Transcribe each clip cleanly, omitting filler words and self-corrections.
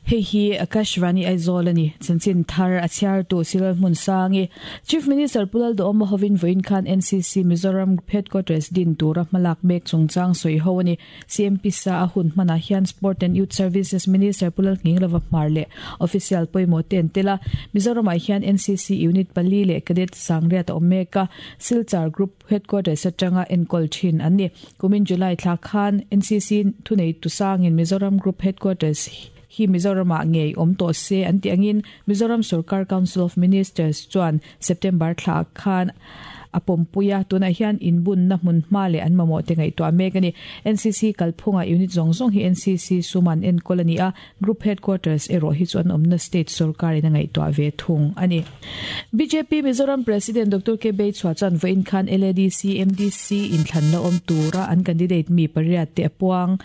Hei hi Akashvani Aizawl a ni. Chanchin thar a chhiartu Cyril Hmunsangi. Chief Minister Pu Lalduhawma hovin vawiin khan NCC Mizoram Group Headquarters din tura hmalak mek chungchang sawi ho a ni. CMP sa a hun hmanah hian Sport and Youth Services Minister Pu Lalnghinglova Hmar leh official pawimawh te an tel a. Mizoramah hian NCC Unit pali leh Cadet sangriat a awm mek a. Silchar Group Headquarters atanga enkawl thin an ni. Kumin July thla khan NCC thuneitu sangin Mizoram Group Headquarters hi Mizoramah ngei awm tawh se an tih angin Mizoram Sorkar Council of Ministers chuan September thla khan a pawmpui a, tunah hian inbunna hmun hma leh an mamawh te ngaihtuah mek a ni. NCC kalphungah unit zawng zawng hi NCC sum an enkawl a ni a, Group Headquarters erawh hi chu an awmna state sorkarin a ngaihtuah ve thung a ni. Bjp Mizoram President Doctor K Beichhua chuan vawiin khan LADC MDC inthlan la awm tura an candidate mi pariat te a puang.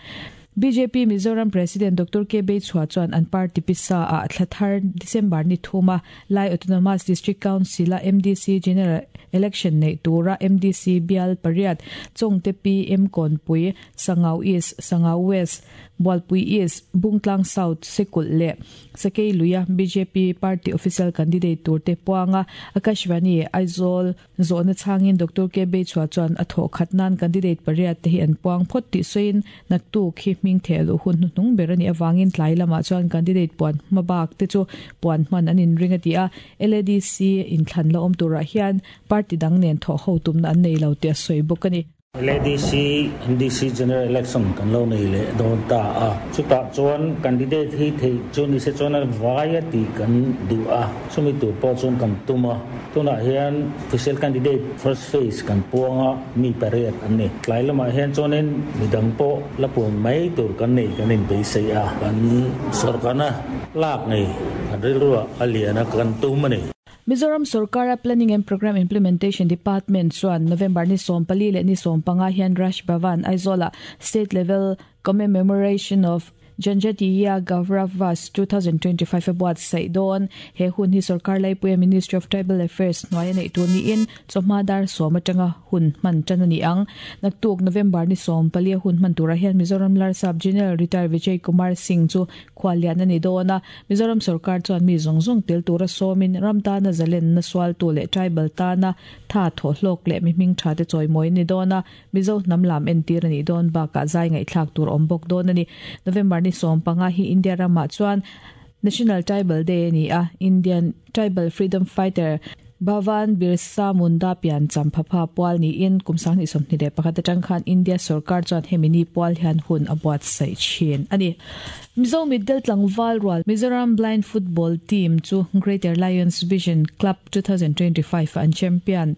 Bjp Mizoram President Doctor K Beichhua chuan an party pisa ah thla thar December ni thuma Lai Autonomous District Council a MDC General Election neih tura MDC bial pariat Chawngte PM Kawnpui, Sangau East, Sangau West, Bualpui East, Bungtlang South, Sekulh leh Sakei luia bjp party official candidate turte puanga Akashvani, Aizawl zawhna chhangin Doctor K Beichhua chuan a thawh khat nan candidate pariat te hi an puang phawt tih sawiin naktuk hi hming theh luh hun hnuhnung ber a nih avangin tlai lamah chuan candidate puan hma bak te chu puan hman an inring a ti a, LADC inthlan la awm turah hian party dang nen thawh ho tumna an nei lo tih a sawi bawk a ni. LADC, MDC General Election kan lo nei leh dawn ta a, chutah chuan candidate hi theih chu ni se chuan a vai a tih kan duh a, chumi tur pawh chuan kan tum a. Tunah hian official candidate first phase kan puang a, mi pariat an ni. Tlai lamah hian chuanin midang pawh la puan mai tur kan nei kan inbeisei a, kan sawrkarna lak ngei kan rilruah a lian a kan tum a ni. Mizoram sorkara Planning and Programme Implementation Department chuan November ni 14 leh ni 15 hian Raj Bhavan, Aizawlah State Level Commemoration of Janjatiya Gaurav Vas 2025 a buatsaih dawn. He hun hi sorkar laipuia Ministry of Tribal Affairs hnuaia neih tur niin chawhma dar sawm atanga hun hman tan a ni ang. Naktuk November ni 14 a hun hman turah hian Mizoram Larsap General Retired Vijay Kumar Singh chu Khuallian a ni dawn a, Mizoram sorkar chuan mi zawng zawng tel tura sawmin ram tana zalenna sualtu leh tribal tana tha thawhhlawk leh mi hming tha te chawimawi a ni dawn a, Mizo hnam lam entir a nih dawn bakah zai ngaihthlak tur awm bawk dawn a ni. November ni 15 hi India ramah chuan National Tribal Day a ni a, Indian Tribal Freedom Fighter Bhavan Birsa Munda pian champhapha pual niin kum 2021 atang khan India sorkar chuan hemi ni pual hian hun a buatsaih thin a ni. Mizo mitdel tlangval rual Mizoram Blind Football Team chu Greater Lions Vision Club 2025 ah an champion.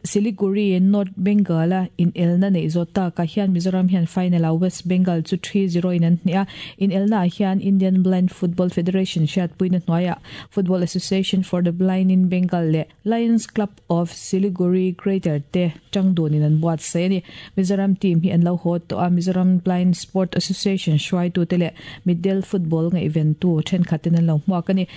Siliguri, North Bengal-a inelna neih zawh takah hian Mizoram hian final-ah West Bengal chu 3-0 in an hneh a. Inelnaah hian Indian Blind Football Federation hriatpuina hnuaiah Football Association for the Blind in Bengal leh Lions Club of Siliguri Greater te tang dunin an buatsaih a ni. Mizoram team hi an lo haw tawh a, Mizoram Blind Sport Association hruaitute leh mitdel football ngaihventu thenkhatin an lo hmuak a ni.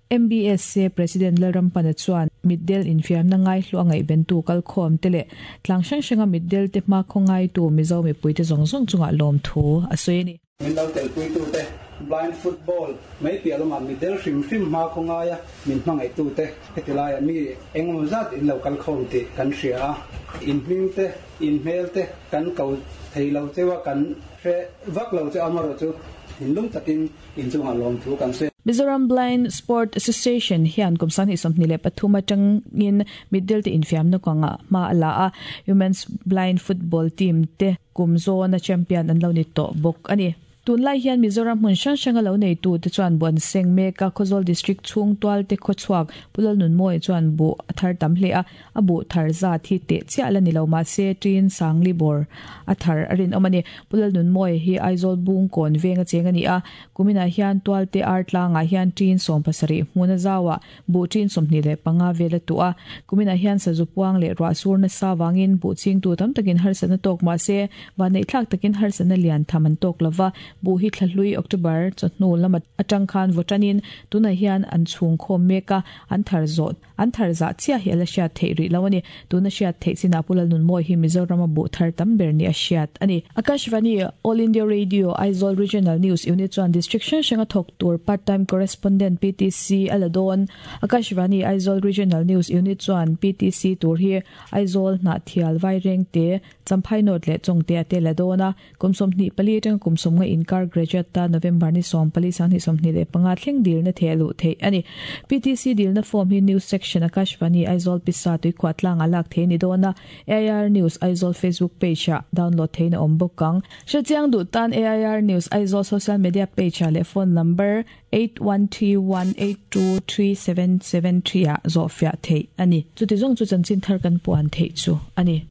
MBSA President Lalrampana chuan mitdel infiamna ngaihlu a ngaihventu kalkhawm te leh tlang hrang hranga mitdel te hmakhaw ngaitu Mizo mipuite zawng zawng chungah lawmthu a sawi a ni. Min lo telpuitute, Blind Football mai piah lamah mitdel hrim hrim hmakhaw ngaia min hmangaihtute heti laiah mi engemaw zat in lo kalkhawm tih kan hria a, in hming te, in hmel te kan ko thei lo cheu a, kan hre vak lo cheu amaherawhchu thinlung takin Inchungah lawmthu kan sawi. Mizoram Blind Sport Association hian kum 2023 atangin mitdel te infiamna kawngah hma a la a, Women's Blind Football Team te kum zawna champion an lo ni tawh bawk a ni. Tunlai hian Mizoram hmun hrang hranga lo neitu te chuan buan seng mek a, Khawzawl District chhung tual te khawchhuak Pu Lalnunmawia chuan buh a thar tam hle a, A buh thar zat hi teh chiah la ni lo mahse ṭin Sangli bawr a thar a rinawm a ni. Pu Lalnunmawia hi Aizawl Bungkawn veng a cheng a ni a, kuminah hian Tualte Ar tlangah hian ṭin 70 hmun a zau a, buh ṭin 25 vel a tuh a. Kuminah hian sazu puang leh ruah sur nasa vangin buh chingtu tam takin harsatna tawk mahse vanneihthlak takin harsatna lian tham an tawk lo va, buh hi thlahlui October chawhnu lam atang khan vaw ṭanin tunah hian an chhungkhawm mek a, an thar zawh. An thar zah chiah hi a la hriat theih rih lo a ni. Tuna hriat theih chinah Pu Lalnunmawii hi Mizorama buh thar tam ber ni a hriat a ni. Akashvani, All India Radio, Aizawl Regional News Unit chuan District hrang hranga thawk tur Part Time Correspondent, PTC, a la dawn. Akashvani, Aizawl Regional News Unit chuan PTC tur hi Aizawl, Hnahthial, Vairengte, Champhai North leh Chawngte a te la dawn a. Kum 24 atanga kum 50 inkar graduate tan November ni 14 2025 thleng dilna theh luh theih a ni. PTC dilna form hi News Section Akashvani Aizawl Pisa Tuikhuah tlangah lak theih a ni dawn a, AIR News Aizawl Facebook page ah download theihin a awm bawk ang. Hrechiang duh tan AIR News Aizawl social media page ah leh phone number 8131823773 ah zawhfiah theih a ni. Chuti zawng chu chanchin thar kan puan theih chu a ni.